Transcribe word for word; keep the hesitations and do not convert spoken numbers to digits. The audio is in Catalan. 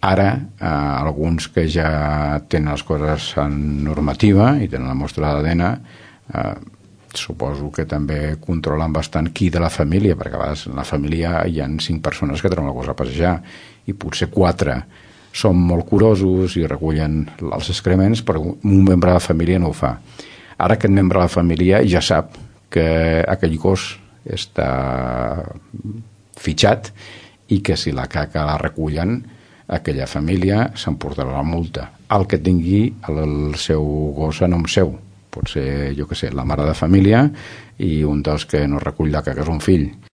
Ara, eh, alguns que ja tenen les coses en normativa i tenen la mostra d'A D N, eh, suposo que també controlen bastant qui de la família, perquè a vegades en la família hi ha cinc persones que treuen la cosa a passejar i potser quatre són molt curosos i recullen els excrements, però un membre de la família no ho fa. Ara aquest membre de la família ja sap que aquell gos està fitxat i que si la caca la recullen, aquella família s'emportarà la multa. El que tingui el seu gos a nom seu. Pot ser, jo què sé, la mare de família i un dels que no recull la caca és un fill.